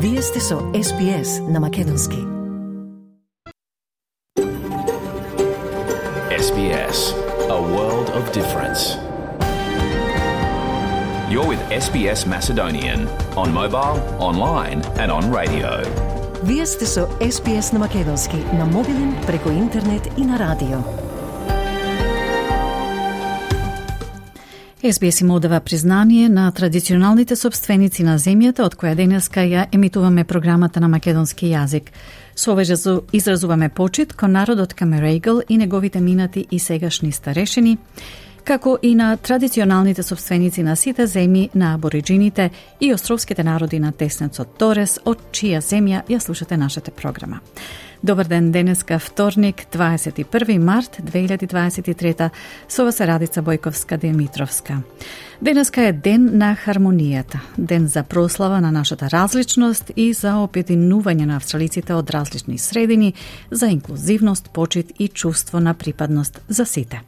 Вие сте со SBS на македонски. SBS, a world of difference. You're with SBS Macedonian on mobile, online and on radio. Вие сте со SBS на македонски на мобилен, преку интернет и на радио. SBS им одава признание на традиционалните собственици на земјата, од која денеска ја емитуваме програмата на македонски јазик. Со ова изразуваме почит кон народот Камерегл и неговите минати и сегашни старешини, како и на традиционалните собственици на сите земји на абориджините и островските народи на теснецот Торес, од чија земја ја слушате нашата програма. Добар ден, денеска вторник, 21 март 2023, со вас е Радица Бојковска-Димитровска. Денеска е ден на хармонијата, ден за прослава на нашата различност и за опединување на австралиците од различни средини, за инклузивност, почит и чувство на припадност за сите.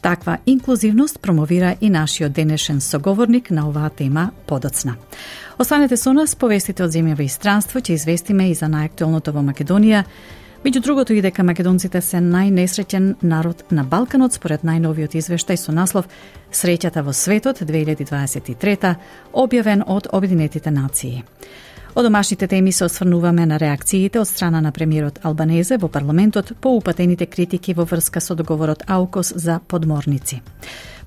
Таква инклузивност промовира и нашиот денешен соговорник на оваа тема подоцна. Останете со нас, повестите од земјава и странство, ќе известиме и за најактуелното во Македонија. Меѓу другото и дека македонците се најнесреќен народ на Балканот според најновиот извештај со наслов Среќата во светот 2023, објавен од Обединетите нации. Од домашните теми се осврнуваме на реакциите од страна на премиерот Албанезе во парламентот по упатените критики во врска со договорот АУКОС за подморници.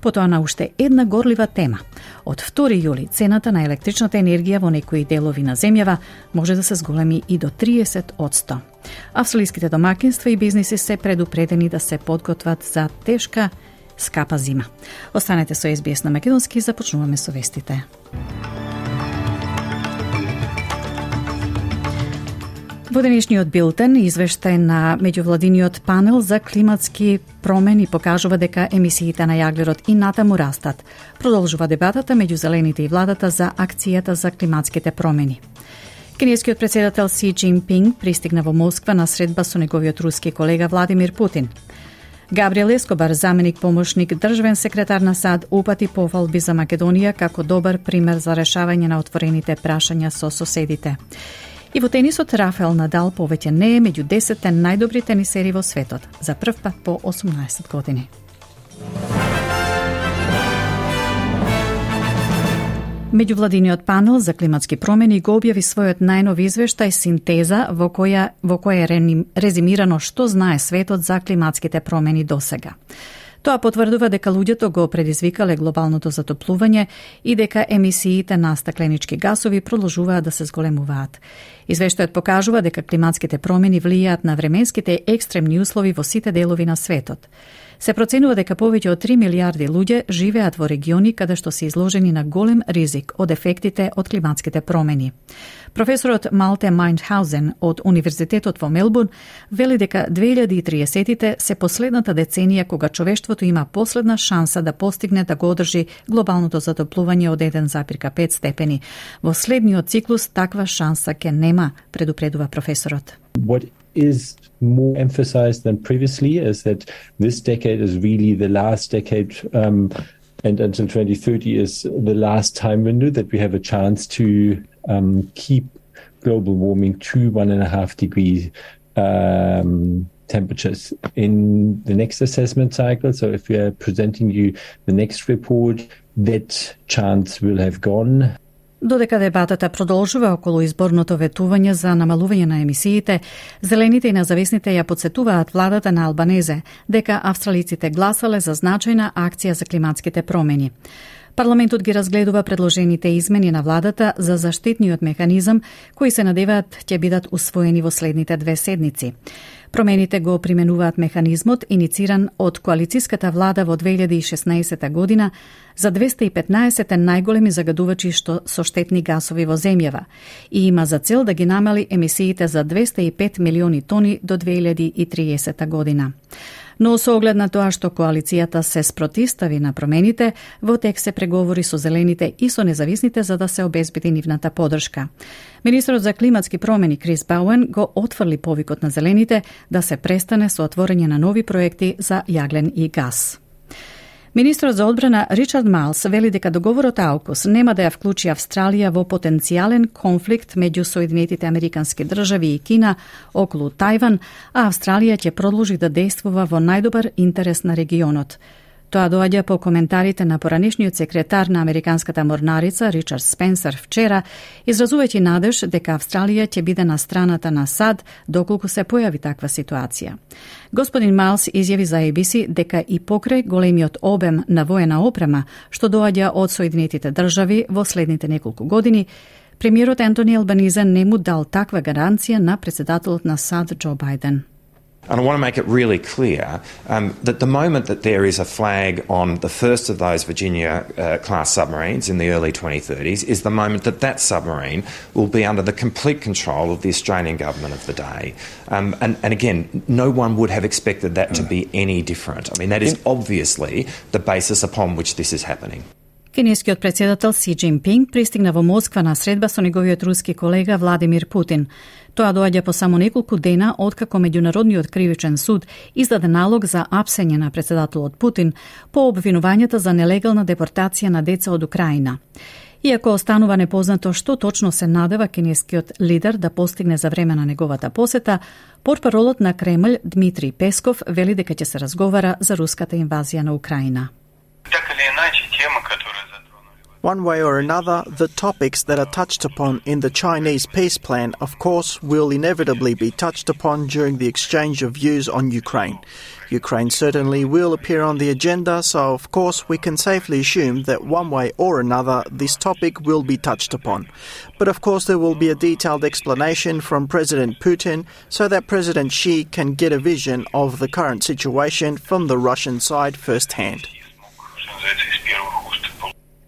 Потоа на уште една горлива тема. Од 2 јули цената на електричната енергија во некои делови на земјава може да се зголеми и до 30%. Австралиските домакинства и бизниси се предупредени да се подготват за тешка, скапа зима. Останете со SBS на македонски и започнуваме со вестите. Во денешниот билтен, извештај на меѓувладиниот панел за климатски промени покажува дека емисиите на јаглерод и натаму растат. Продолжува дебатата меѓу зелените и владата за акцијата за климатските промени. Кинескиот председател Си Џинпинг пристигна во Москва на средба со неговиот руски колега Владимир Путин. Габриел Ескобар, заменик помошник државен секретар на САД, упати пофалби за Македонија како добар пример за решавање на отворените прашања со соседите. И во тенисот Рафаел Надал повеќе не е меѓу 10 најдобри тенисери во светот, за прв пат по 18 години. Меѓувладиниот панел за климатски промени го објави својот најнов извештај Синтеза во која е резимирано што знае светот за климатските промени досега. Тоа потврдува дека луѓето го предизвикале глобалното затоплување и дека емисиите на стакленички гасови продолжуваат да се зголемуваат. Извештајот покажува дека климатските промени влијаат на временските екстремни услови во сите делови на светот. Се проценува дека повеќе од 3 милиарди луѓе живеат во региони каде што се изложени на голем ризик од ефектите од климатските промени. Професорот Малте Майндхаузен од Универзитетот во Мелбурн вели дека 2030-тите се последната деценија кога човештвото има последна шанса да постигне да го одржи глобалното затоплување од 1,5 степени. Во следниот циклус таква шанса ќе нема, предупредува професорот. What is more emphasized than previously is that this decade is really the last decade and until 2030 is the last time window that we have a chance to keep global warming to 1.5 degrees temperatures in the next assessment cycle. So if we are presenting you the next report, that chance will have gone. Додека дебатата продолжува околу изборното ветување за намалување на емисиите, зелените и независните ја потсетуваат владата на Албанезе дека австралиците гласале за значајна акција за климатските промени. Парламентот ги разгледува предложените измени на владата за заштитниот механизам, кои се надеваат ќе бидат усвоени во следните 2 седмици. Промените го применуваат механизмот инициран од коалициската влада во 2016 година за 215 најголеми загадувачи со штетни гасови во земјава и има за цел да ги намали емисиите за 205 милиони тони до 2030 година. Но со оглед на тоа што коалицијата се спротивстави на промените, во тек се преговори со зелените и со независните за да се обезбеди нивната поддршка. Министерот за климатски промени Крис Бауен го отфрли повикот на зелените да се престане со отворање на нови проекти за јаглен и газ. Министрот за одбрана Ричард Майлс вели дека договорот AUKUS нема да ја вклучи Австралија во потенцијален конфликт меѓу Соединетите Американски држави и Кина околу Тајван, а Австралија ќе продолжи да действува во најдобар интерес на регионот. Тоа доаѓа по коментарите на поранешниот секретар на Американската морнарица Ричард Спенсер вчера, изразувајќи надеж дека Австралија ќе биде на страната на САД доколку се појави таква ситуација. Господин Майлс изјави за ABC дека и покрај големиот обем на воена опрема што доаѓа од Соединетите држави во следните неколку години, премиерот Ентони Албанизе не му дал таква гаранција на председателот на САД Џо Бајден. And I want to make it really clear that the moment that there is a flag on the first of those Virginia-class submarines in the early 2030s is the moment that that submarine will be under the complete control of the Australian government of the day. And again, no one would have expected that to be any different. I mean, that is obviously the basis upon which this is happening. Кинескиот председател Си Џинпинг пристигна во Москва на средба со неговиот руски колега Владимир Путин. Тоа доаѓа по само неколку дена откако Меѓународниот кривичен суд издаде налог за апсење на председателот Путин по обвинувањата за нелегална депортација на деца од Украина. Иако останува непознато што точно се надева кинескиот лидер да постигне за време на неговата посета, портпаролот на Кремљ Дмитрий Песков вели дека ќе се разговара за руската инвазија на Украина. One way or another, the topics that are touched upon in the Chinese peace plan, of course, will inevitably be touched upon during the exchange of views on Ukraine. Ukraine certainly will appear on the agenda, so of course we can safely assume that one way or another this topic will be touched upon. But of course there will be a detailed explanation from President Putin so that President Xi can get a vision of the current situation from the Russian side firsthand.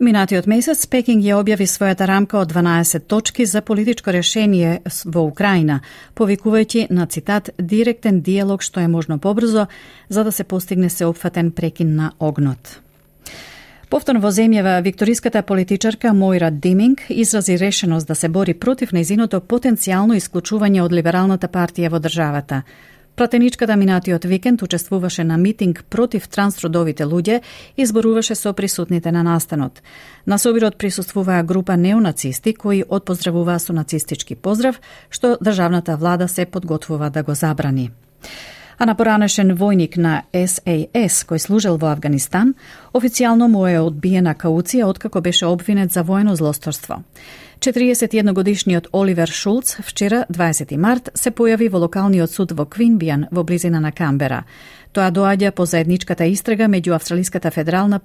Минатиот месец Пекинг ја објави својата рамка од 12 точки за политичко решение во Украина, повикувајќи на цитат директен диалог што е можно побрзо за да се постигне сеопфатен прекин на огнот. Повторно во земјава викториската политичарка Моира Диминг изрази решеност да се бори против нејзиното потенцијално исклучување од либералната партија во државата. Пратеничката минатиот викенд учествуваше на митинг против трансродовите луѓе и зборуваше со присутните на настанот. На собирот присуствуваа група неонацисти кои отпоздравуваа со нацистички поздрав, што државната влада се подготвува да го забрани. А на поранешен војник на САС кој служел во Авганистан, официјално му е одбиена кауција откако беше обвинет за воено злосторство. 41-годишниот Оливер Шулц вчера, 20 март, се појави во локалниот суд во Квинбијан во близина на Камбера. Тоа доаѓа по заедничката истрага меѓу Австралиската федерална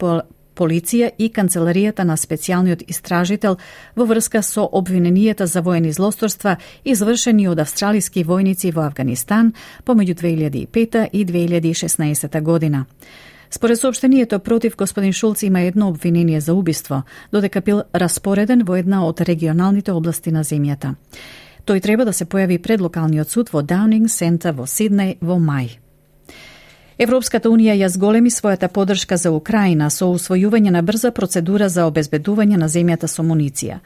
полиција и канцеларијата на специјалниот истражител во врска со обвиненијата за воени злосторства извршени од австралиски војници во Авганистан помеѓу 2005 и 2016 година. Според соопштението против господин Шулц има едно обвинение за убиство, додека бил распореден во една од регионалните области на земјата. Тој треба да се појави пред локалниот суд во Даунинг Сентар во Сиднеј во мај. Европската Унија ја зголеми својата поддршка за Украина со усвојување на брза процедура за обезбедување на земјата со муниција.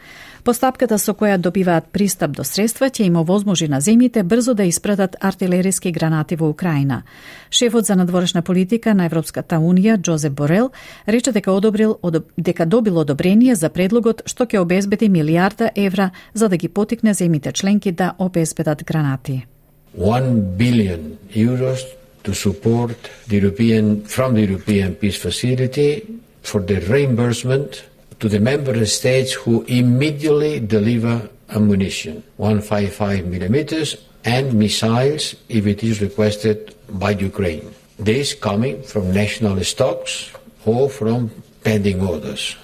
Постапката со која добиваат пристап до средства ќе им овозможи на земјите брзо да испратат артилериски гранати во Украина. Шефот за надворешна политика на Европската Унија, Джозеп Борел, рече дека добил одобрение за предлогот што ќе обезбеди милијарда евра за да ги потикне земјите членки да обезбедат гранати. 1 billion euros to support from the European Peace Facility for the reimbursement to the member states who immediately deliver ammunition, 155 millimeters, and missiles if it is requested by Ukraine. This coming from national stocks or from pending orders.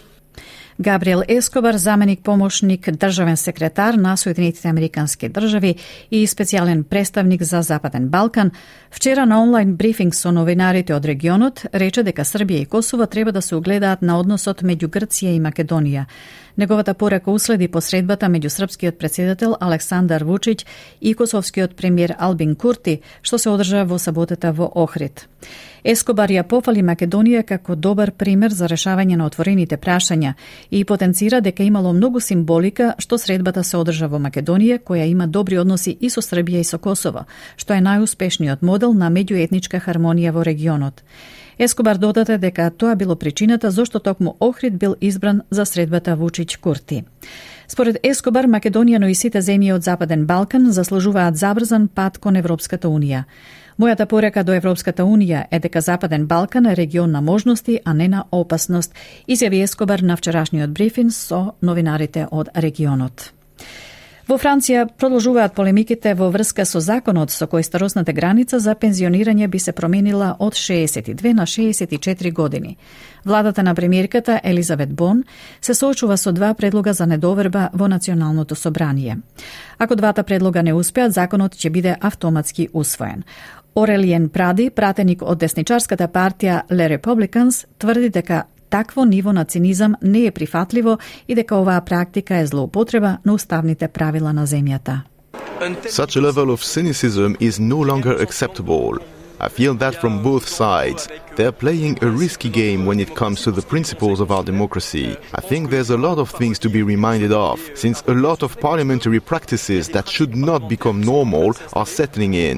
Габриел Ескобар, заменик помошник државен секретар на Соединетите Американски држави и специјален представник за Западен Балкан, вчера на онлайн брифинг со новинарите од регионот рече дека Србија и Косово треба да се угледаат на односот меѓу Грција и Македонија. Неговата порака уследи посредбата меѓу српскиот претседател Александар Вучиќ и косовскиот премиер Албин Курти, што се одржа во саботата во Охрид. Ескобар ја пофали Македонија како добар пример за решавање на отворените прашања и потенцира дека имало многу символика што средбата се одржа во Македонија, која има добри односи и со Србија и со Косово, што е најуспешниот модел на меѓуетничка хармонија во регионот. Ескобар додаде дека тоа било причината зошто токму Охрид бил избран за средбата Вучиć-Курти. Според Ескобар, Македонија, но и сите земји од Западен Балкан заслужуваат забрзан пат кон Европската Унија. Мојата порека до Европската Унија е дека Западен Балкан е регион на можности, а не на опасност, изјави Ескобар на вчерашниот брифинг со новинарите од регионот. Во Франција продолжуваат полемиките во врска со законот со кој старосната граница за пензионирање би се променила од 62 на 64 години. Владата на премиерката Елизабет Бон се соочува со два предлога за недоверба во Националното собрание. Ако двата предлога не успеат, законот ќе биде автоматски усвоен. Орелиен Пради, пратеник од десничарската партија Le Republicans, тврди дека такво ниво на цинизам не е прифатливо и дека оваа практика е злоупотреба на уставните правила на земјата. Such a level of cynicism is no longer acceptable. I feel that from both sides. They are playing a risky game when it comes to the principles of our democracy. I think there's a lot of things to be reminded of, since a lot of parliamentary practices that should not become normal are settling in.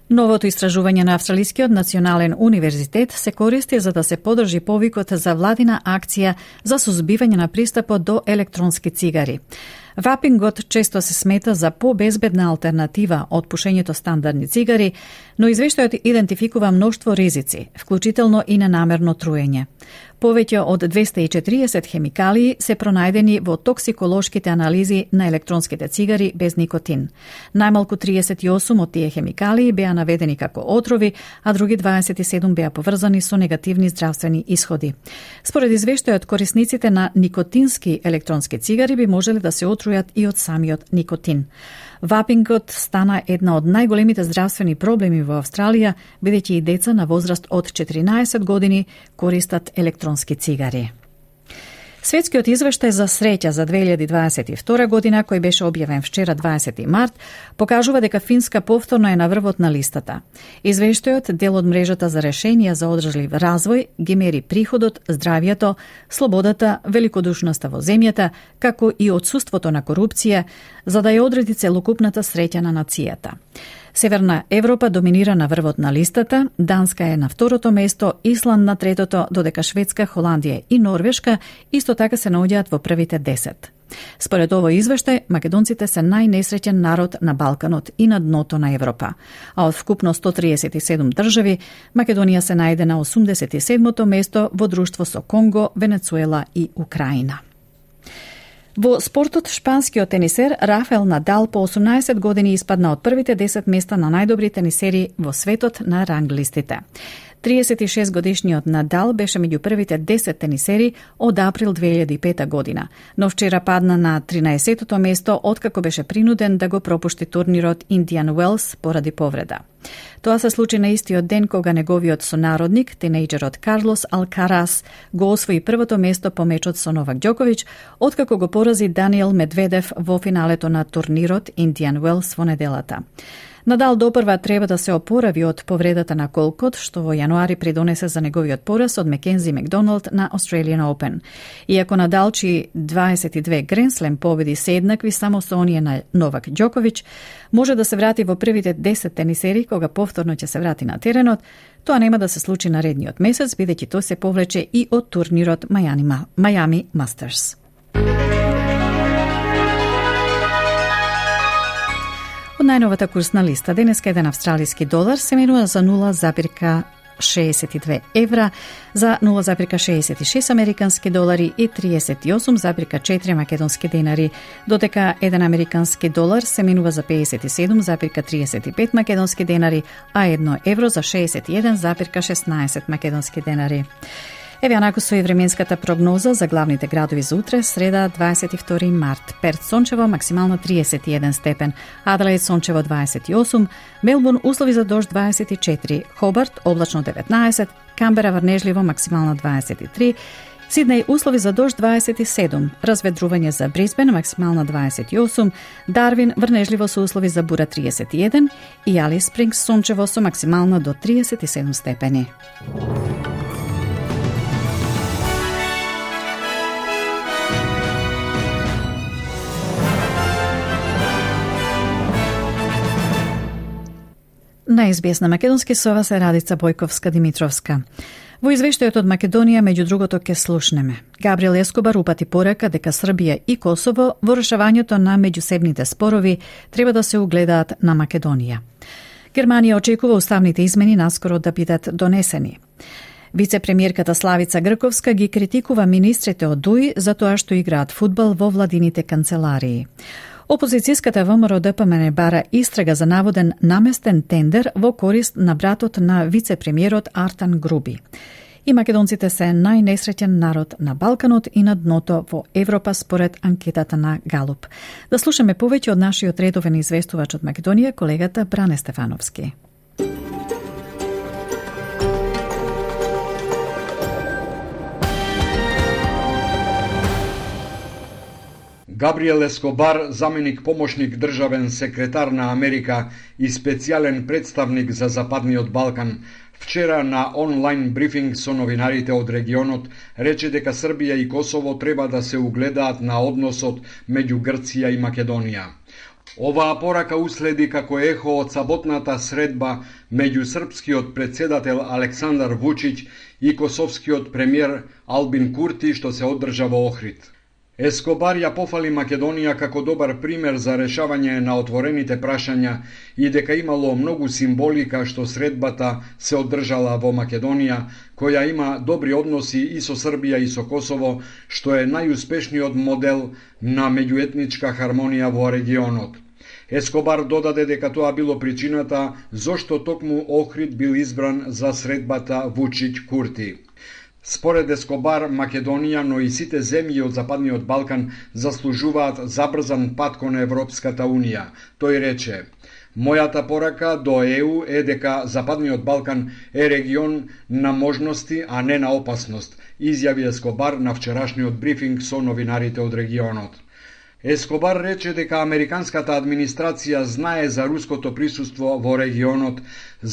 Новото истражување на Австралискиот национален универзитет се користи за да се подржи повикот за владина акција за сузбивање на пристапот до електронски цигари. Вапингот често се смета за побезбедна алтернатива од пушењето стандардни цигари, но извештајот идентификува мноштво ризици, вклучително и ненамерно труење. Повеќе од 240 хемикалии се пронајдени во токсиколошките анализи на електронските цигари без никотин. Најмалку 38 од тие хемикалии беа наведени како отрови, а други 27 беа поврзани со негативни здравствени исходи. Според извештајот, корисниците на никотински електронски цигари би можеле да се отрујат и од самиот никотин. Вапингот стана една од најголемите здравствени проблеми во Австралија, бидејќи и деца на возраст од 14 години користат електронски цигари. Светскиот извештај за среќа за 2022 година, кој беше објавен вчера 20 март, покажува дека Финска повторно е на врвот на листата. Извештајот, дел од мрежата за решенија за одржлив развој, ги мери приходот, здравието, слободата, великодушноста во земјата, како и отсуството на корупција, за да ја одреди целокупната среќа на нацијата. Северна Европа доминира на врвот на листата, Данска е на второто место, Исланд на третото, додека Шведска, Холандија и Норвешка исто така се наоѓаат во првите 10. Според овој извештај, македонците се најнесреќен народ на Балканот и на дното на Европа. А од вкупно 137 држави, Македонија се најде на 87-то место во друштво со Конго, Венецуела и Украина. Во спортот, шпанскиот тенисер Рафаел Надал по 18 години испадна од првите 10 места на најдобри тенисери во светот на ранглистите. 36 годишниот Надал беше меѓу првите 10 тенисери од април 2005 година, но вчера падна на 13-тото место откако беше принуден да го пропушти турнирот Индиан Уелс поради повреда. Тоа се случи на истиот ден кога неговиот сонародник, тинејџерот Карлос Алкарас, го освои првото место по мечот со Новак Ѓоковиќ, откако го порази Даниел Медведев во финалето на турнирот Индиан Уелс во неделата. Надал допрва треба да се опорави од повредата на колкот, што во јануари придонесе за неговиот пораз од Макензи Макдоналд на Australian Open. Иако Надал, чии 22 Гренслем победи се еднакви само со оние на Новак Ѓоковиќ, може да се врати во првите 10 тенисери кога повторно ќе се врати на теренот, тоа нема да се случи наредниот месец, бидејќи тој се повлече и од турнирот Miami Masters. Од најновата курсна листа, денеска еден австралиски долар се менува за 0,62 евра, за 0,66 американски долари и 38,4 македонски денари, додека еден американски долар се менува за 57,35 македонски денари, а 1 евро за 61,16 македонски денари. Еве онаку со и временската прогноза за главните градови за утре, среда 22 март. Перт сончево, максимално 31 степен, Аделаид сончево 28, Мелбурн услови за дожд 24, Хобарт облачно 19, Камбера врнежливо максимално 23, Сиднеј услови за дожд 27, разведрување за Брисбен максимално 28, Дарвин врнежливо со услови за бура 31 и Алис Спрингс сончево со максимално до 37 степени. На СБС на македонски со вас е Радица Бојковска-Димитровска. Во извештајот од Македонија, меѓу другото, ке слушнеме. Габриел Ескобар упати порека дека Србија и Косово во решавањето на меѓусебните спорови треба да се угледаат на Македонија. Германија очекува уставните измени наскоро да бидат донесени. Вице-премиерката Славица Грковска ги критикува министрите од ДУИ за тоа што играат фудбал во владините канцеларии. Опозицијската ВМРО ДПМН бара истрага за наводен наместен тендер во корист на братот на вице-премиерот Артан Груби. И македонците се најнесреќен народ на Балканот и на дното во Европа според анкетата на Галуп. Да слушаме повеќе од нашиот редовен известувач од Македонија, колегата Бране Стефановски. Габриел Ескобар, заменик помошник државен секретар на Америка и специјален представник за Западниот Балкан, вчера на онлайн брифинг со новинарите од регионот рече дека Србија и Косово треба да се угледаат на односот меѓу Грција и Македонија. Оваа порака уследи како ехо од саботната средба меѓу српскиот претседател Александар Вучиќ и косовскиот премиер Албин Курти што се одржа во Охрид. Ескобар ја пофали Македонија како добар пример за решавање на отворените прашања и дека имало многу символика што средбата се одржала во Македонија, која има добри односи и со Србија и со Косово, што е најуспешниот модел на меѓуетничка хармонија во регионот. Ескобар додаде дека тоа било причината зошто токму Охрид бил избран за средбата Вучиќ-Курти. Според Ескобар, Македонија, но и сите земји од Западниот Балкан заслужуваат забрзан пат кон Европската Унија. Тој рече: "Мојата порака до ЕУ е дека Западниот Балкан е регион на можности, а не на опасност", изјави Ескобар на вчерашниот брифинг со новинарите од регионот. Ескобар рече дека американската администрација знае за руското присуство во регионот,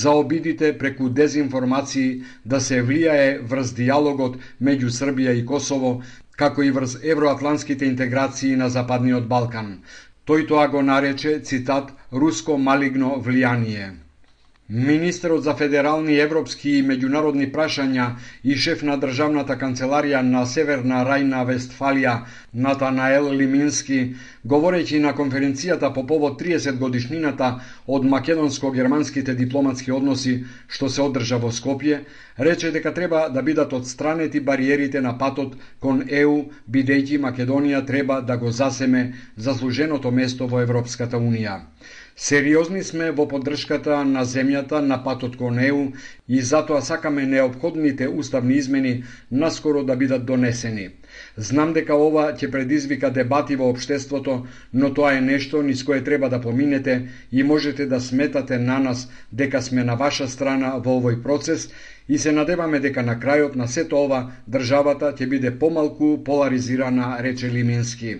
за обидите преку дезинформации да се влијае врз диалогот меѓу Србија и Косово, како и врз евроатлантските интеграции на Западниот Балкан. Тој тоа го нарече, цитат, "руско малигно влијание". Министерот за федерални, европски и меѓународни прашања и шеф на државната канцеларија на Северна Рајна-Вестфалија Натанаел Лимински, говорејќи на конференцијата по повод 30 годишнината од македонско-германските дипломатски односи што се одржа во Скопје, рече дека треба да бидат отстранети бариерите на патот кон ЕУ, бидејќи Македонија треба да го засеме заслуженото место во Европската Унија. Сериозни сме во поддршката на земјата на патот кон ЕУ и затоа сакаме неопходните уставни измени наскоро да бидат донесени. Знам дека ова ќе предизвика дебати во општеството, но тоа е нешто низ кое треба да поминете и можете да сметате на нас дека сме на ваша страна во овој процес и се надеваме дека на крајот на сето ова државата ќе биде помалку поларизирана, рече Лимински.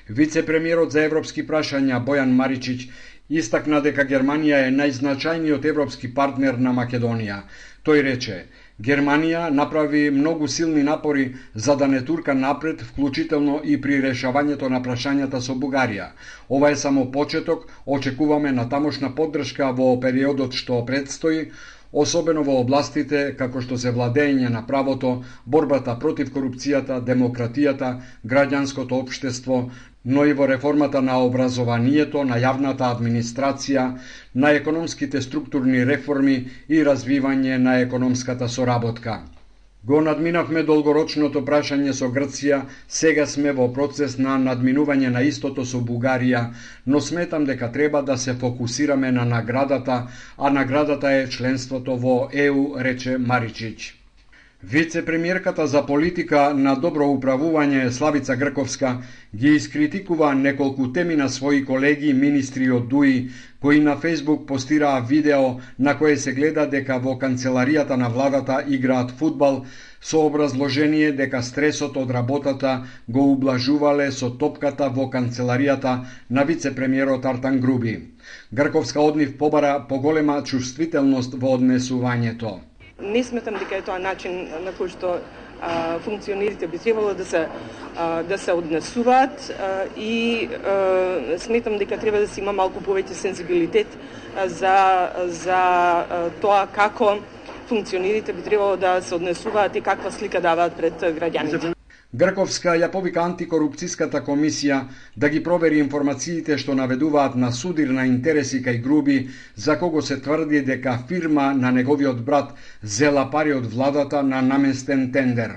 Вице-премиерот за европски прашања Бојан Маричиќ истакна дека Германија е најзначајниот европски партнер на Македонија. Тој рече: "Германија направи многу силни напори за да не турка напред, вклучително и при решавањето на прашањата со Бугарија. Ова е само почеток, очекуваме натамошна поддршка во периодот што предстои, особено во областите како што се владење на правото, борбата против корупцијата, демократијата, граѓанското општество, но и во реформата на образованието, на јавната администрација, на економските структурни реформи и развивање на економската соработка. Го надминавме долгорочното прашање со Грција, сега сме во процес на надминување на истото со Бугарија, но сметам дека треба да се фокусираме на наградата, а наградата е членството во ЕУ", рече Маричиќ. Вице-премиерката за политика на добро управување Славица Грковска ги искритикува неколку теми на своји колеги министри од ДУИ, кои на Фејсбук постираа видео на кое се гледа дека во канцеларијата на владата играат фудбал, со образложение дека стресот од работата го ублажувале со топката во канцеларијата на вице-премиерот Артан Груби. Грковска од нив побара поголема чувствителност во однесувањето. Не сметам дека е тоа начин на кој што функционерите би требало да се однесуваат и сметам дека треба да се има малку повеќе сензибилитет за тоа како функционерите би требало да се однесуваат и каква слика даваат пред граѓаните. Грковска ја повика антикорупцијската комисија да ги провери информациите што наведуваат на судир на интереси кај Груби, за кого се тврди дека фирма на неговиот брат зела пари од владата на наместен тендер.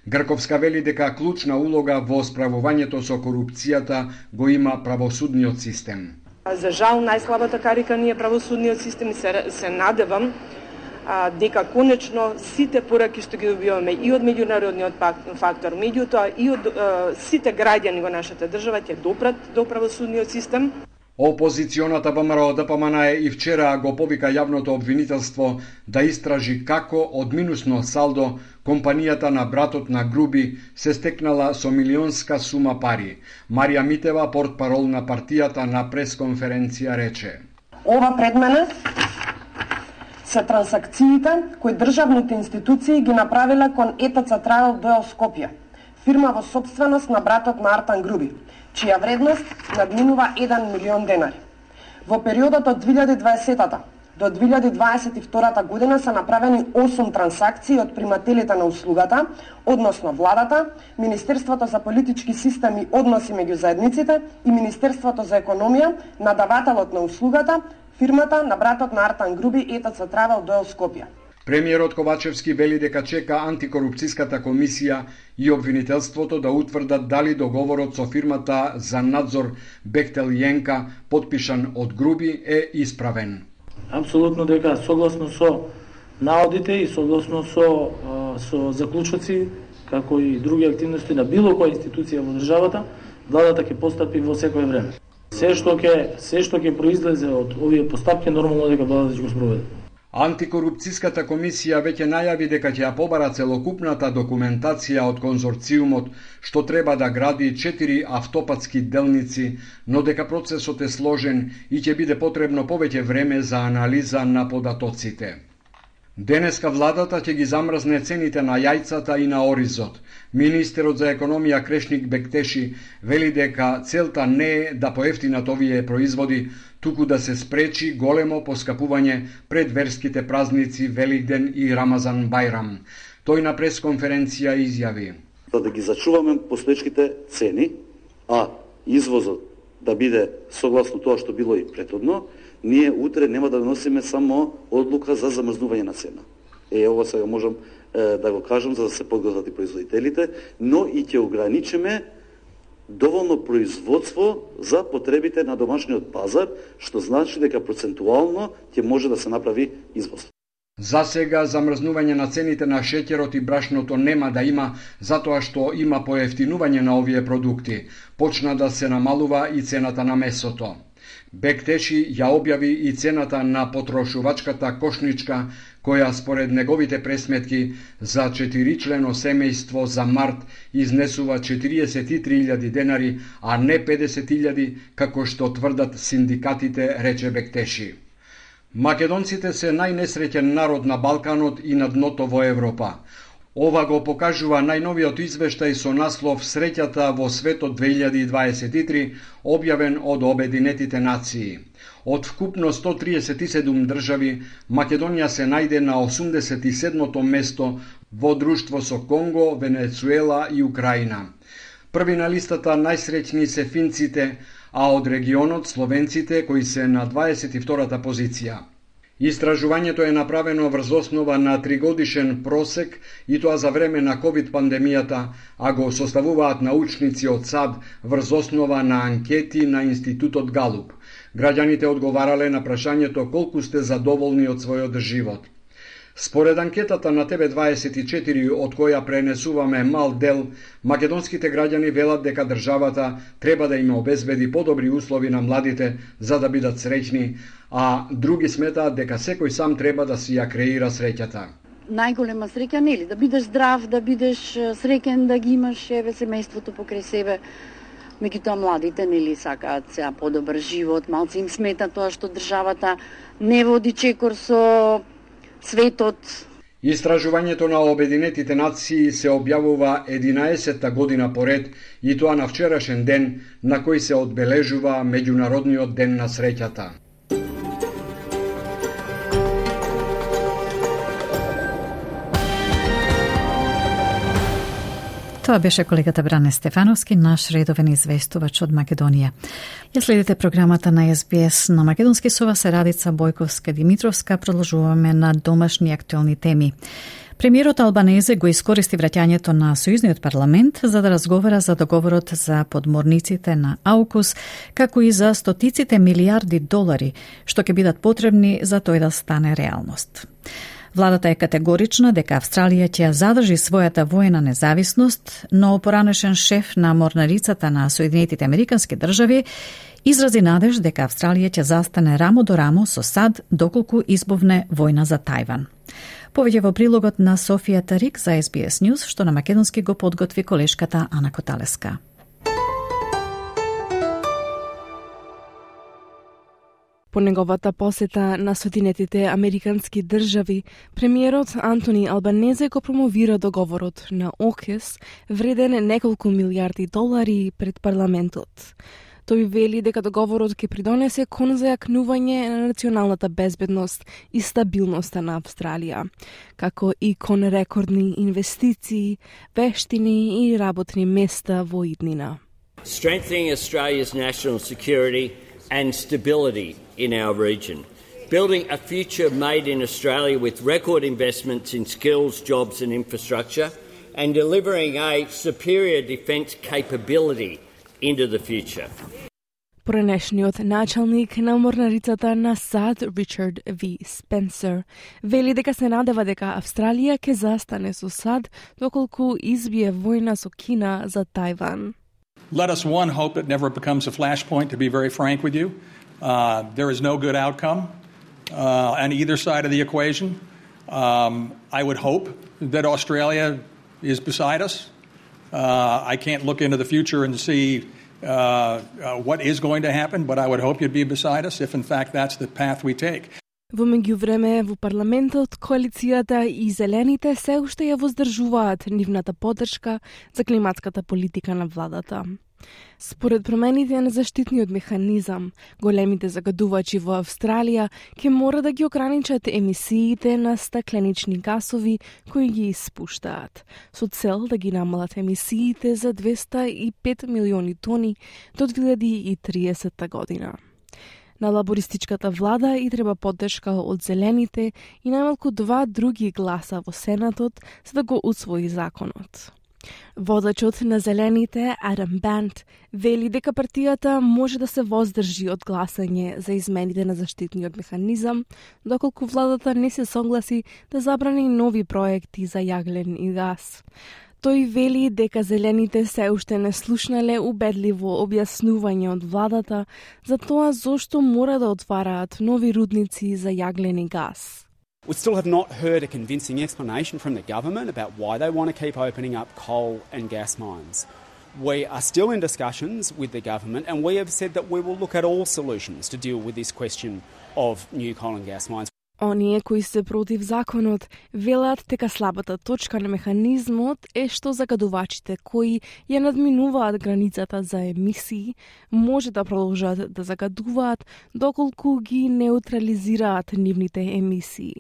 Грковска вели дека клучна улога во справувањето со корупцијата го има правосудниот систем. За жал најслабата карика ни е правосудниот систем и се надевам дека конечно сите пораки што ги добиваме и од меѓународниот фактор, меѓутоа и од сите граѓани во нашата држава ќе допрат до правосудниот систем. Опозиционата ВМРО ДПМН и вчера го повика јавното обвинителство да истражи како од минусно салдо компанијата на братот на Груби се стекнала со милионска сума пари. Марија Митева, портпарол на партијата, на пресконференција рече: Ова пред мене се трансакциите кои државните институции ги направиле кон ЕТЦ Travel до Скопје, фирма во сопственост на братот на Артан Груби, чија вредност надминува 1 милион денари. Во периодот од 2020 до 2022 година се направени 8 трансакции од примателите на услугата, односно владата, Министерството за политички системи и односи меѓу заедниците и Министерството за економија, надавателот на услугата, фирмата на братот на Артан Груби, ЕТЦ Travel до Скопје. Премиерот Ковачевски вели дека чека антикорупцијската комисија и обвинителството да утврдат дали договорот со фирмата за надзор Бехтел Јенка, подпишан од Груби, е исправен. Апсолутно дека согласно со наодите и согласно со заклучоци, како и други активности на било која институција во државата, владата ќе постапи во секое време. Се што ќе произлезе од овие постапки, нормално дека владата ќе го спроведе. Антикорупцијската комисија веќе најави дека ќе ја побара целокупната документација од конзорциумот што треба да гради 4 автопатски делници, но дека процесот е сложен и ќе биде потребно повеќе време за анализа на податоците. Денеска владата ќе ги замрзне цените на јајцата и на оризот. Министерот за економија Крешник Бектеши вели дека целта не е да поевтинат овие производи, туку да се спречи големо поскапување пред верските празници Великден и Рамазан Бајрам. Тој на пресконференција изјави: За да ги зачуваме постоечките цени, а извозот да биде согласно тоа што било и претhodно, ние утре нема да доносиме само одлука за замрзнување на цена. Ова сега можам да го кажам за да се подготват и производителите, но и ќе ограничиме доволно производство за потребите на домашниот пазар, што значи дека процентуално ќе може да се направи извоз. За сега замрзнување на цените на шеќерот и брашното нема да има, затоа што има поевтинување на овие продукти. Почна да се намалува и цената на месото. Бектеши ја објави и цената на потрошувачката кошничка, која според неговите пресметки за 4-члено семејство за март изнесува 43.000 денари, а не 50.000, како што тврдат синдикатите, рече Бектеши. Македонците се најнесреќен народ на Балканот и на дното во Европа. Ова го покажува најновиот извештај со наслов Среќата во светот 2023, објавен од Обединетите нации. Од вкупно 137 држави, Македонија се најде на 87-то место во друштво со Конго, Венецуела и Украина. Први на листата најсреќни се финците, а од регионот словенците кои се на 22-та позиција. Истражувањето е направено врз основа на 3-годишен просек и тоа за време на COVID пандемијата, а го составуваат научници од САД врз основа на анкети на Институтот Галуп. Граѓаните одговарале на прашањето колку сте задоволни од својот живот. Според анкетата на ТВ24, од која пренесуваме мал дел, македонските граѓани велат дека државата треба да им обезбеди подобри услови на младите за да бидат среќни, а други сметаат дека секој сам треба да си ја креира среќата. Најголема среќа, нели, да бидеш здрав, да бидеш среќен, да ги имаш семејството покрај себе. Меѓутоа младите нели сакаат сега подобар живот, малци им смета тоа што државата не води чекор со светот. Истражувањето на Обединетите нации се објавува 11-та година поред и тоа на вчерашен ден на кој се одбележува Меѓународниот ден на среќата. Тоа беше колегата Бране Стефановски, наш редовен известувач од Македонија. Ја следите програмата на SBS на македонски со вас, Радица Бојковска-Димитровска. Продолжуваме на домашни актуелни теми. Премиерот Албанезе го искористи враќањето на Сојузниот парламент за да разговара за договорот за подморниците на AUKUS, како и за стотиците милиарди долари, што ќе бидат потребни за тој да стане реалност. Владата е категорична дека Австралија ќе задржи својата воена независност, но поранешен шеф на морнарицата на Соединетите Американски држави изрази надеж дека Австралија ќе застане рамо до рамо со САД доколку избовне војна за Тајван. Повеќе во прилогот на Софија Тарик за SBS News, што на македонски го подготви колешката Ана Коталеска. По неговата посета на Соединетите Американски држави, премиерот Антони Албанезе го промовира договорот на AUKUS вреден неколку милиарди долари пред парламентот. Тој вели дека договорот ќе придонесе кон зајакнување на националната безбедност и стабилноста на Австралија, како и кон рекордни инвестиции, вештини и работни места во иднина. Strengthening Australia's national security and stability in our region. Building a future made in Australia with record investments in skills, jobs and infrastructure, and delivering a superior defence capability into the future. Поранешниот началник на морнарицата на САД, Ричард В. Спенсер, вели дека се надева дека Австралија ќе застане со САД доколку избие војна со Кина за Тајван. Let us hope it never becomes a flashpoint, to be very frank with you. There is no good outcome on either side of the equation. I would hope that Australia is beside us. I can't look into the future and see what is going to happen, but I would hope you'd be beside us if in fact that's the path we take. Во меѓувреме, во парламентот, коалицијата и зелените се уште ја воздржуваат нивната поддршка за климатската политика на владата. Според промените на заштитниот механизам, големите загадувачи во Австралија ќе мора да ги ограничат емисиите на стакленични гасови кои ги испуштаат, со цел да ги намалат емисиите за 205 милиони тони до 2030 година. На лабористичката влада и треба поддршка од зелените и најмалку 2 други гласа во Сенатот за да го усвои законот. Водачот на зелените, Адам Бант, вели дека партијата може да се воздржи од гласање за измените на заштитниот механизам, доколку владата не се согласи да забрани нови проекти за јаглен и газ. Тој вели дека зелените се уште не слушнале убедливо објаснување од владата за тоа зошто мора да отвараат нови рудници за јаглен и газ. We still have not heard a convincing explanation from the government about why they want to keep opening up coal and gas mines. We are still in discussions with the government and we have said that we will look at all solutions to deal with this question of new coal and gas mines. Оние кои се против законот велат дека слабата точка на механизмот е што загадувачите кои ја надминуваат границата за емисии може да продолжат да загадуваат доколку ги неутрализираат нивните емисии.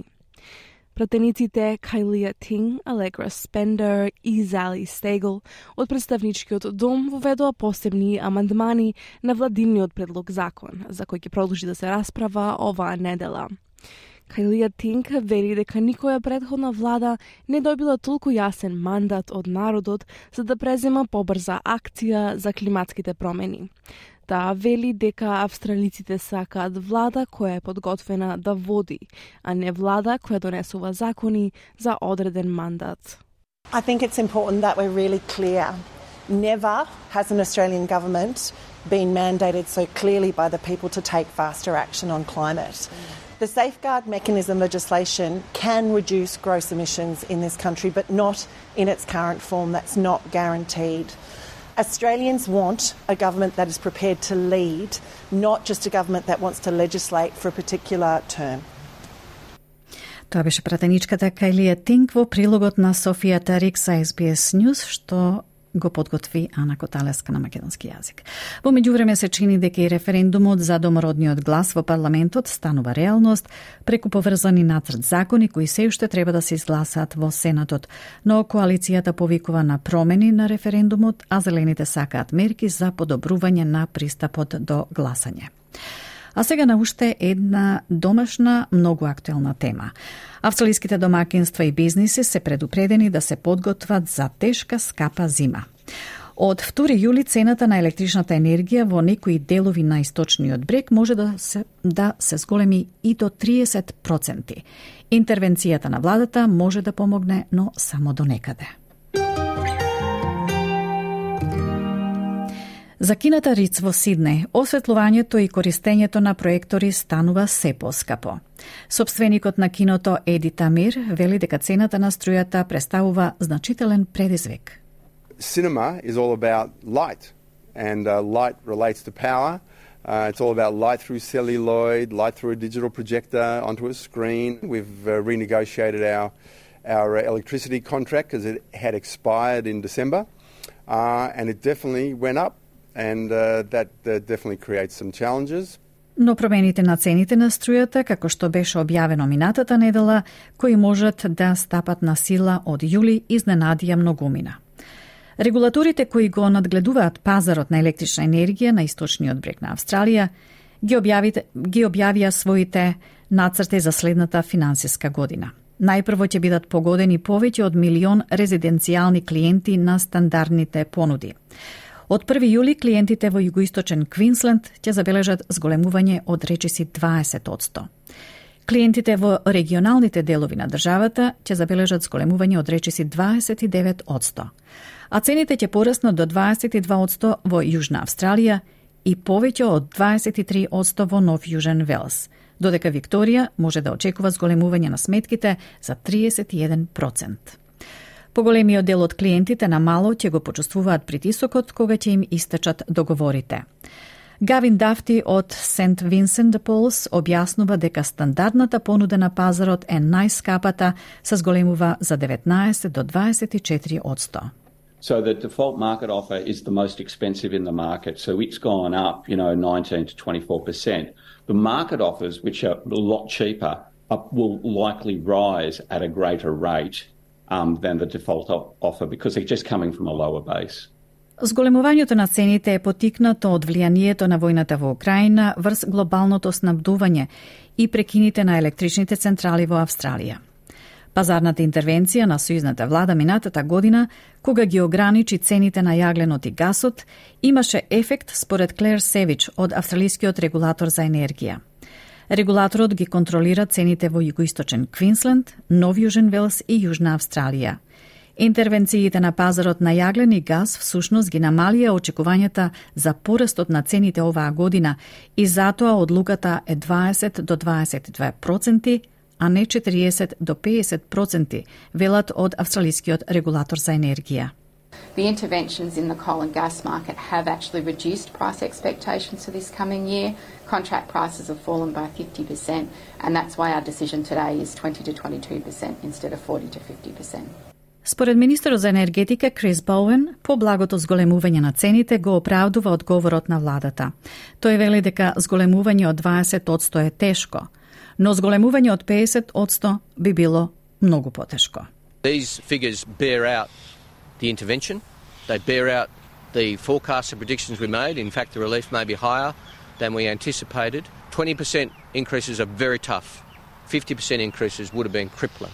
Пратениците Кајлија Тинг, Алегра Спендер и Зали Стегл од представничкиот дом воведоа посебни амандмани на владиниот предлог закон, за кој ќе продолжи да се расправа оваа недела. Кајлија Тинг вели дека никоја претходна влада не добила толку јасен мандат од народот за да презема побрза акција за климатските промени. Таа вели дека австралиците сакаат влада која е подготвена да води, а не влада која донесува закони за одреден мандат. I think it's important that we're really clear. Never has an Australian government been mandated so clearly by the people to take faster action on climate. The safeguard mechanism legislation can reduce gross emissions in this country, but not in its current form. That's not guaranteed. Australians want a government that is prepared to lead, not just a government that wants to legislate for a particular term. Тоа беше пратеничката Кајлија Тинг во прилогот на Софија Тарик за SBS News, што го подготви Ана Коталеска на македонски јазик. Во меѓувреме се чини дека и референдумот за домородниот глас во парламентот станува реалност преку поврзани нацрт закони кои се уште треба да се изгласаат во Сенатот, но коалицијата повикува на промени на референдумот, а зелените сакаат мерки за подобрување на пристапот до гласање. А сега на уште една домашна, многу актуелна тема. Австралиските домакинства и бизниси се предупредени да се подготват за тешка, скапа зима. Од 2 јули цената на електричната енергија во некои делови на источниот брег може да се зголеми и до 30%. Интервенцијата на владата може да помогне, но само до некаде. За кината Риц во Сиднеј, осветлувањето и користењето на проектори станува се поскапо. Собственикот на киното Еди Тамир вели дека цената на струјата представува значителен предизвик. Cinema is all about light, and light relates to power. It's all about light through celluloid, light through a digital projector onto a screen. We've renegotiated our electricity contract because it had expired in December, and it definitely went up. And that definitely creates some challenges. Но промените на цените на струјата, како што беше објавено минатата недела, кои можат да стапат на сила од јули, изненадија многумина. Регулаторите кои го надгледуваат пазарот на електрична енергија на источниот брег на Австралија ги објавија своите нацрти за следната финансиска година. Најпрво ќе бидат погодени повеќе од 1 милион резиденцијални клиенти на стандардните понуди. Од 1 јули клиентите во југоисточен Квинсленд ќе забележат зголемување од речиси 20%. Клиентите во регионалните делови на државата ќе забележат зголемување од речиси 29%. А цените ќе пораснат до 22% во Јужна Австралија и повеќе од 23% во Нов Јужен Велс, додека Викторија може да очекува зголемување на сметките за 31%. Поголемиот дел од клиентите на мало ќе го почувствуваат притисокот кога ќе им истечат договорите. Гавин Дафти од Сент Винсент де Полс објаснува дека стандардната понуда на пазарот е најскапата, се зголемува за 19 до 24%. So the default market offer is the most expensive in the market. So it's gone up, 19 to 24%. The market offers, which are a lot cheaper, will likely rise at a greater rate than the default offer because they're just coming from a lower base. Зголемувањето на цените е потикнато од влијанието на војната во Украина врз глобалното снабдување и прекините на електричните централи во Австралија. Пазарната интервенција на сојузната влада минатата година, кога ги ограничи цените на јагленот и гасот, имаше ефект според Клер Севич од австралискиот регулатор за енергија. Регулаторот ги контролира цените во југоисточен Квинсленд, Нов Јужен Велс и Јужна Австралија. Интервенциите на пазарот на јаглен и газ всушност ги намалија очекувањата за порастот на цените оваа година и затоа одлуката е 20 до 22%, а не 40 до 50%, велат од австралискиот регулатор за енергија. The interventions in the coal and gas market have actually reduced price expectations for this coming year. Contract prices have fallen by 50%, and that's why our decision today is 20 to 22% instead of 40 to 50%. Според министерот за енергетика Крис Боуен, поблагото зголемување на цените го оправдува одговорот на владата. Тој вели дека зголемување од 20% е тешко, но зголемување од 50% би било многу потешко. These figures bear out the intervention. They bear out the forecasts and predictions we made. In fact, the relief may be higher than we anticipated. 20% increases are very tough. 50% increases would have been crippling.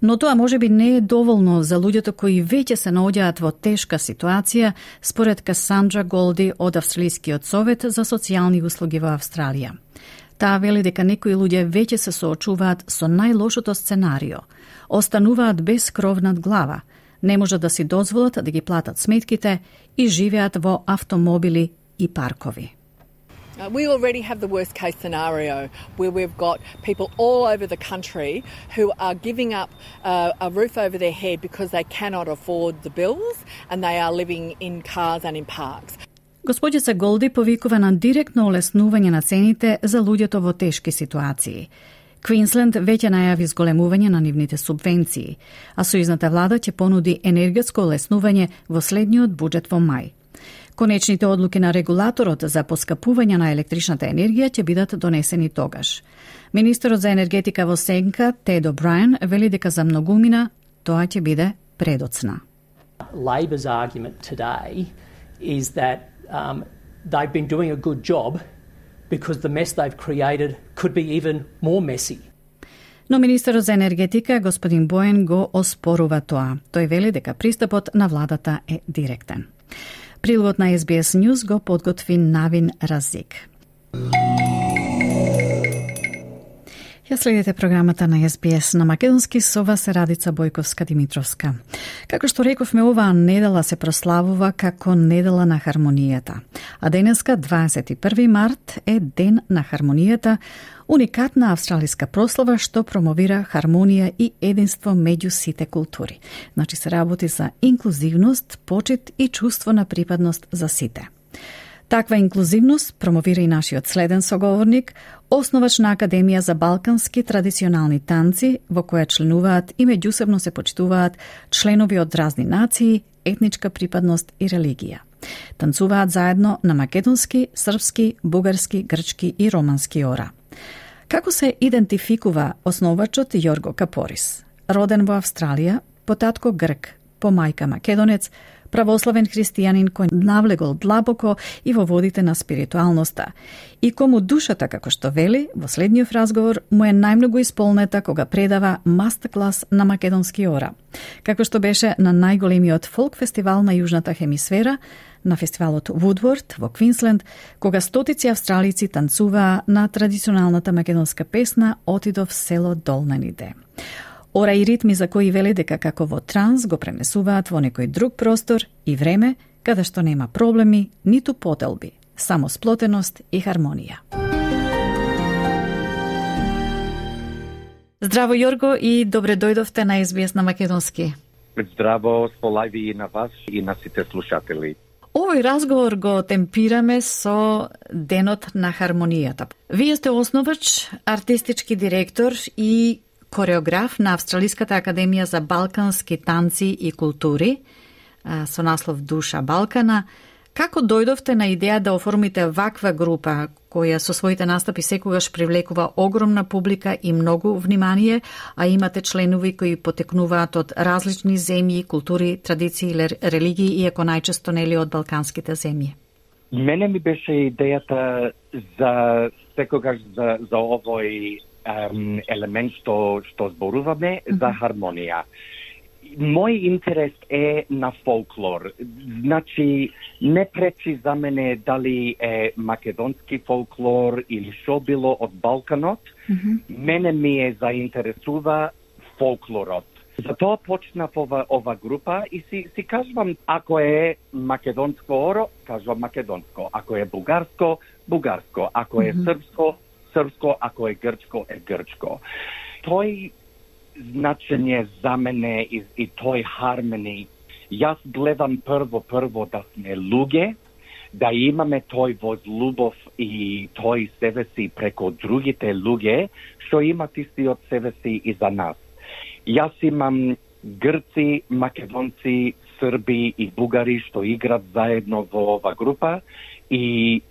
Но тоа може би не е доволно за луѓето кои веќе се наоѓаат во тешка ситуација, според Касандра Голди од Австралискиот совет за социјални услуги во Австралија. Таа вели дека некои луѓе веќе се соочуваат со најлошото сценарио. Остануваат без кров над глава, не можат да си дозволат да ги платат сметките и живеат во автомобили и паркови. We already have the worst case scenario where we've got people all over the country who are giving up a roof over their head because they cannot afford the bills and they are living in cars and in parks. Господица Голди повикува на директно олеснување на цените за луѓето во тешки ситуации. Квинсленд веќе најави зголемување на нивните субвенции, а сојузната влада ќе понуди енергетско олеснување во следниот буџет во мај. Конечните одлуки на регулаторот за поскапување на електричната енергија ќе бидат донесени тогаш. Министерот за енергетика во сенка, Тед О'Брајен, вели дека за многумина тоа ќе биде предоцна. Labor's argument today is that they've been doing a good job because the mess they've created could be even more messy. Но министерот за енергетика, господин Боен, го оспорува тоа. Тој вели дека пристапот на владата е директен. Прилогот на SBS News го подготви Навин Разик. Ја следите програмата на SBS на македонски со вас Радица Бојковска-Димитровска. Како што рековме, оваа недела се прославува како недела на хармонијата. А денеска, 21 март, е Ден на хармонијата, уникатна австралиска прослава што промовира хармонија и единство меѓу сите култури. Значи се работи за инклузивност, почит и чувство на припадност за сите. Таква инклузивност промовира и нашиот следен соговорник, основач на Академија за балкански традиционални танци, во која членуваат и меѓусебно се почитуваат членови од разни нации, етничка припадност и религија. Танцуваат заедно на македонски, српски, бугарски, грчки и романски ора. Како се идентификува основачот Јорго Капорис? Роден во Австралија, по татко грк, по мајка македонец, православен христијанин кој навлегол длабоко и во водите на спиритуалноста. И кому душата, како што вели, во следниот разговор му е најмногу исполнета кога предава мастер-клас на македонски ора. Како што беше на најголемиот фолк фестивал на Јужната хемисфера, на фестивалот Вудворд во Квинсленд, кога стотици австралици танцуваа на традиционалната македонска песна "Отидов село Долнаниде". Ора и ритми за кои вели дека како во транс го пренесуваат во некој друг простор и време, каде што нема проблеми, ниту поделби, само сплотеност и хармонија. Здраво, Јорго, и добре дојдовте на SBS на македонски. Здраво, сполајви и на вас и на сите слушатели. Овој разговор го темпираме со Денот на хармонијата. Вие сте основач, артистички директор и кореограф на Австралиската академија за балкански танци и култури со наслов Душа Балкана. Како дојдовте на идеја да оформите ваква група која со своите настапи секогаш привлекува огромна публика и многу внимание, а имате членови кои потекнуваат од различни земји, култури, традиции или религии, иако најчесто нели од балканските земји? Мене ми беше идејата за секогаш за овој елемент што зборуваме за хармонија. Мој интерес е на фолклор. Значи, не пречи за мене дали е македонски фолклор или шо било од Балканот. Мене ми е заинтересува фолклорот. Затоа почнав ова група и си кажувам, ако е македонско оро, кажувам македонско. Ако е бугарско, бугарско. Ако е српско, ако е грчко. Тој значење за мене и тој хармони. Јас гледам прво да сме луѓе, да имаме тој возлюбов и тој себе си преко другите луѓе, што имат истиот себе си и за нас. Јас имам грци, македонци, срби и бугари што играт заедно во ова група и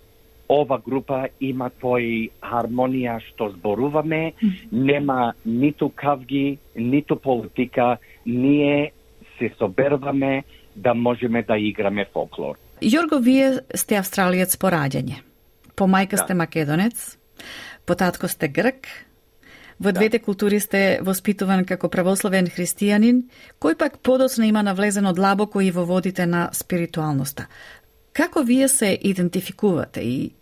ова група има тој хармонија што зборуваме, нема ниту кавги, ниту политика, ние се соберваме да можеме да играме фолклор. Јорго, вие сте австралиец по раѓање. По мајка сте македонец, по татко сте грк, во двете култури сте воспитуван како православен христијанин, кој пак подоцна има навлезено длабоко и во водите на спиритуалноста. Како вие се идентификувате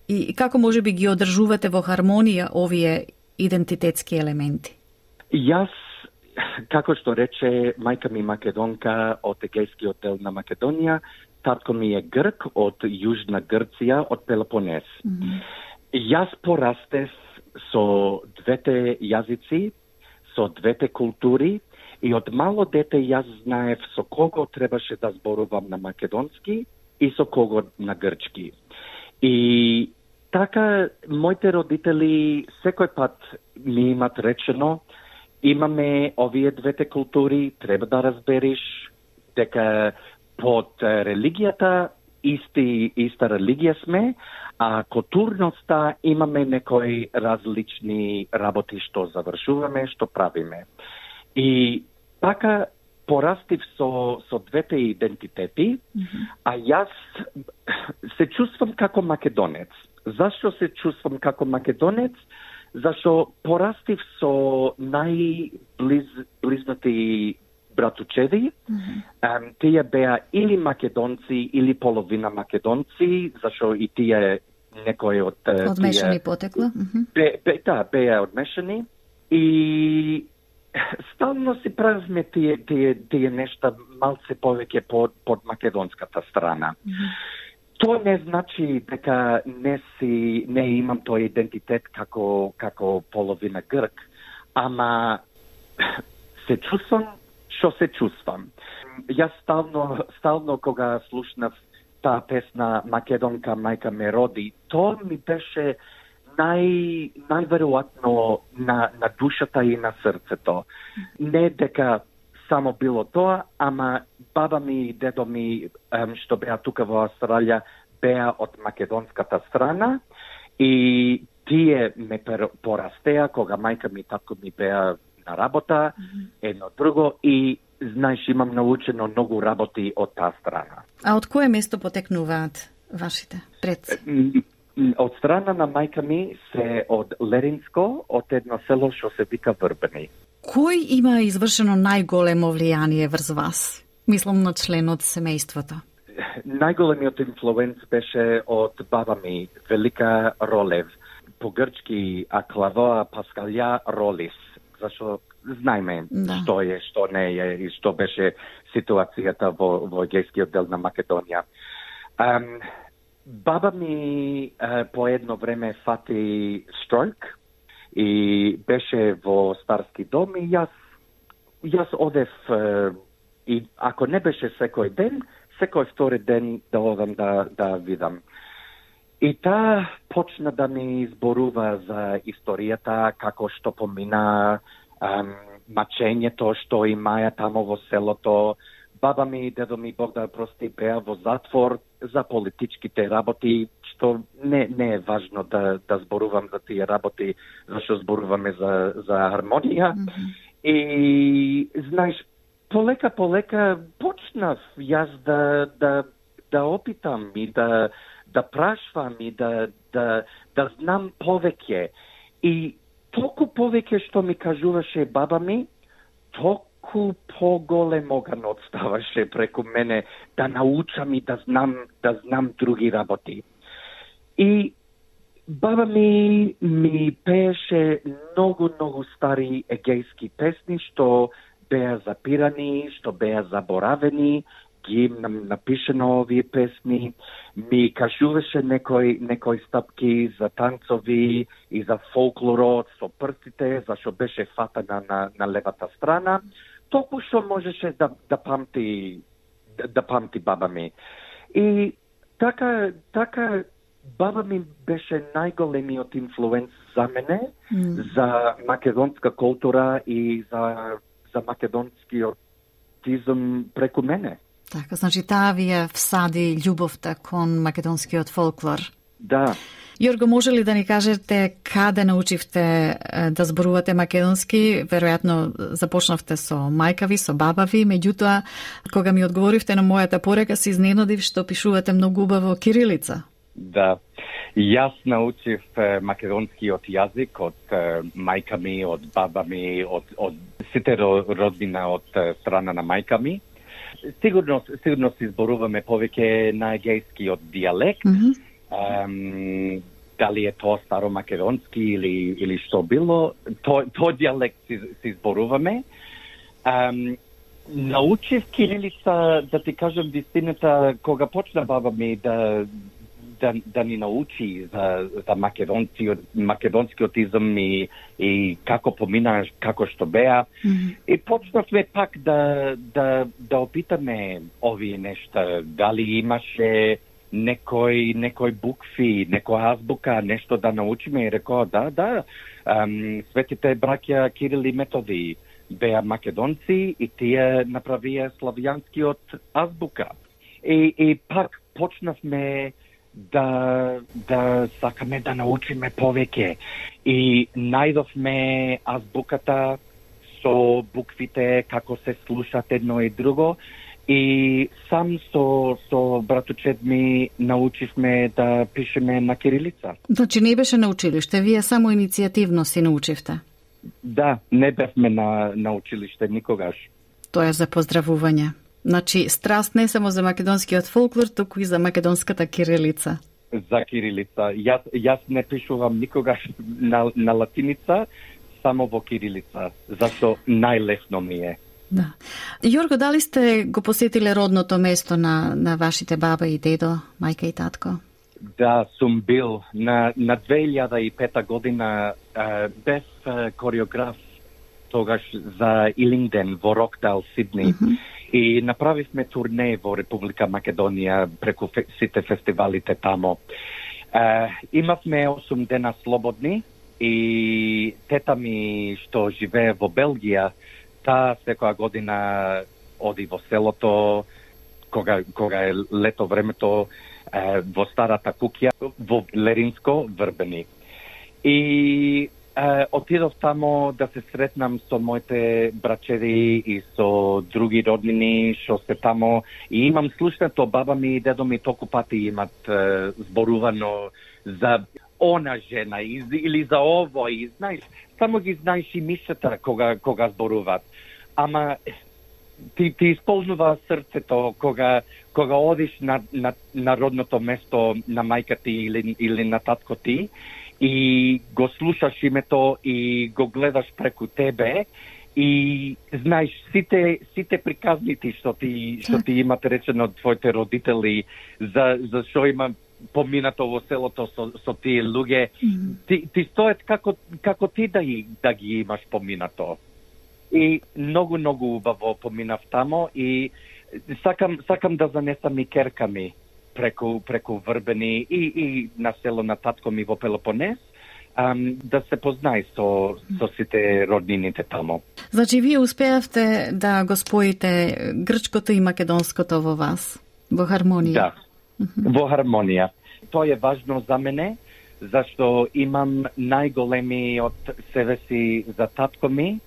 и како може би ги одржувате во хармонија овие идентитетски елементи? Јас, како што рече, мајка ми македонка од Егејскиот дел на Македонија, татко ми е грк од Јужна Грција, од Пелопонес. Јас порастев со двете јазици, со двете култури и од мало дете јас знаев со кого требаше да зборувам на македонски и со кого на грчки. И така, моите родители секој пат ми имат речено, имаме овие двете култури, треба да разбериш дека под религијата иста религија сме, а културноста имаме некои различни работи што завршуваме, што правиме. И така порастив со двете идентитети, а јас се чувствам како македонец. Зашто се чувствам како македонец? Зашто порастив со најблизнати братучеди. Тие беа или македонци, или половина македонци, зашто и тие некои од одмешани потекло. Беа одмешани. И стално си правиме тие нешта малце повеќе под македонската страна. Тоа не значи дека не имам тој идентитет како половина грк, ама се чувствам што се чувствам. Јас стално кога слушнав таа песна Македонка мајка ме роди, тоа ми беше најверојатно на душата и на срцето. Не дека само било тоа, ама баба ми и дедо ми, што беа тука во Австралија, беа од македонската страна и тие ме порастеа кога мајка ми и татко ми беа на работа, едно друго, и знаеш, имам научено многу работи од таа страна. А од кое место потекнуваат вашите предци? Од страна на мајка ми се од Леринско, од едно село што се вика Врбени. Кој има извршено најголемо влијание врз вас? Мислам на член од семејството. Најголемиот инфлуенц беше од баба ми, Велика Ролев. По грчки Аклавоа Паскалја Ролис. Зашто знаеме што е, што не е и што беше ситуацијата во егејскиот дел на Македонија. Баба ми по едно време фати строк и беше во старски дом и јас одев и ако не беше секој ден, секој втори ден да одам да видам. И таа почна да ми зборува за историјата, како што помина, мачењето што имаја тамо во селото. Баба ми и дедо ми, Бог да прости, беа во затвор за политичките работи, што не е важно да зборувам за тие работи, зашто зборуваме за хармонија. И, знаеш, полека почнав јас да опитам и да прашвам и да знам повеќе. И толку повеќе што ми кажуваше баба ми, толку поголем оган отставаше преку мене да научам и да знам други работи. И баба ми пееше многу стари егејски песни што беа запирани, што беа заборавени, ги напишено овие песни, ми кажуваше некои стапки за танцови и за фолклорот со прстите, зашто беше фатана на левата страна, толку што можеше да памти баба ми. И така баба ми беше најголемиот инфлуенс за мене, за македонска култура и за македонскиот тизм преку мене. Така, значи таа ви ја всади љубовта кон македонскиот фолклор. Да. Јорго, може ли да ни кажете каде научивте да зборувате македонски? Веројатно започнавте со мајка ви, со баба ви, меѓутоа, кога ми одговоривте на мојата порека, се изненадив што пишувате многу убаво кирилица. Да. Јас научив македонскиот јазик од мајка ми, од баба ми, од сите родбина од страна на мајка ми. Сигурно се изборуваме повеќе на егејскиот дијалект. Дали е тоа старомакедонски или што било, тој дијалект се изборуваме. Научив кирилица, да ти кажам вистината, кога почна баба ми да ни научи за македонскиот изм и како помина, како што беа. И почнавме пак да опитаме овие нешта. Дали имаше некој букви, некоја азбука, нешто да научиме, и рекоа да, светите браќа Кирил и Методи беа македонци и тие направија славјанскиот азбука. И пак почнавме да сакаме да научиме повеќе и најдовме азбуката со буквите, како се слушат едно и друго, и сам со братучет ми научивме да пишеме на кирилица. Значи не беше на училиште, вие само иницијативно си научивте? Да, не бевме на училиште никогаш. Тоа е за поздравување. Значи, страст не само за македонскиот фолклор, туку и за македонската кирилица. За кирилица. Јас не пишувам никогаш на латиница, само во кирилица, зашто најлесно ми е. Да. Јорго, дали сте го посетиле родното место на вашите баба и дедо, мајка и татко? Да, сум бил. На 2005 година бев кореограф тогаш за Илингден во Рокдал, Сидни. И направивме турне во Република Македонија преку сите фестивалите тамо. Имавме 8 дена слободни и тета ми што живее во Белгија, таа секоја година оди во селото, кога е лето времето, во старата куќа, во Леринско, Врбени. И отидов тамо да се сретнам со моите брачеди и со други роднини што се тамо. И имам слушнато, баба ми и дедо ми толку пати имат зборувано за она жена или за овој, знаеш, само ги знаеш и мишата кога зборуваат. Ама ти исполнува срцето кога одиш на родното место на мајка ти или на татко ти и го слушаш името и го гледаш преку тебе и знаеш сите приказните што ти имат речено од твоите родители за што има поминато во селото со тие луѓе, ти стоят како ти да ги имаш поминато. И многу убаво поминав тамо и сакам да занесам и керка ми преку Врбени и на село на татко ми во Пелопонес, да се познае со сите роднините тамо. Значи, вие успеавте да го споите грчкото и македонското во вас, во хармонија? Да, во хармонија. Тоа е важно за мене, зашто имам најголеми од себе си за татко ми,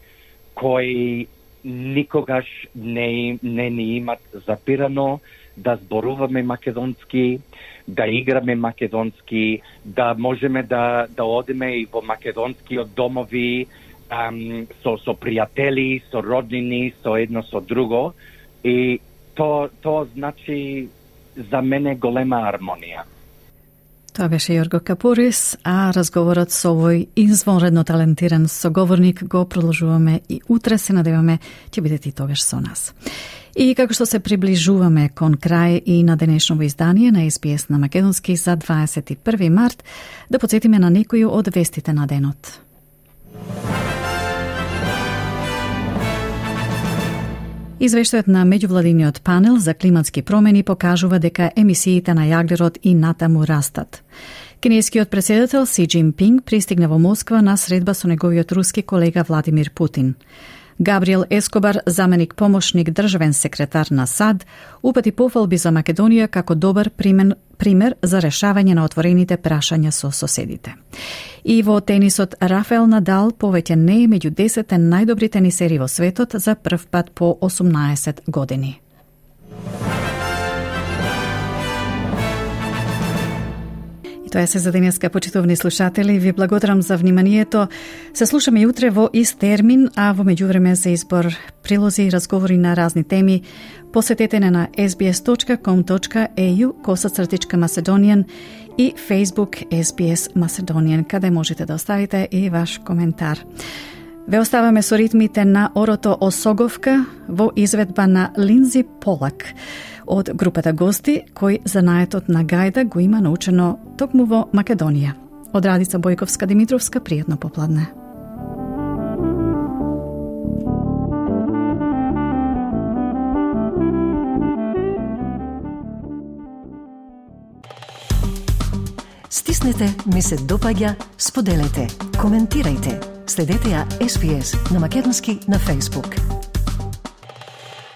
кои никогаш не ни имат запирано да зборуваме македонски, да играме македонски, да можеме да одиме и во македонскиот домови со пријатели, со роднини, со едно со друго. И тоа значи за мене голема хармонија. Тоа беше Јорго Капурис, а разговорот со овој извонредно талентиран соговорник го продолжуваме и утре, се надеваме ќе бидете и тогаш со нас. И како што се приближуваме кон крај и на денешново издание на SBS на македонски за 21 март, да подсетиме на некои од вестите на денот. Извештајот на меѓувладиниот панел за климатски промени покажува дека емисиите на јаглерод и натаму растат. Кинескиот председател Си Џинпинг пристигна во Москва на средба со неговиот руски колега Владимир Путин. Габриел Ескобар, заменик помошник државен секретар на САД, упати пофалби за Македонија како добар пример за решавање на отворените прашања со соседите. И во тенисот Рафаел Надал повеќе не е меѓу 10 најдобри тенисери во светот за прв пат по 18 години. Тоа е се за денеска, почитувани слушатели. Ви благодарам за вниманието. Се слушаме и утре во ист термин, а во меѓувреме за избор прилози и разговори на разни теми посетете на sbs.com.au/Macedonian и Facebook SBS Macedonian, каде можете да оставите и ваш коментар. Ве оставаме со ритмите на Орото Осоговка во изведба на Линдзи Полак од групата гости, кој занаетот на гајда го има научено токму во Македонија. Од Радица Бојковска-Димитровска, пријатно попладне. Стиснете ми се допаѓа, споделете, коментирајте. Следете ја SPS на македонски на Facebook.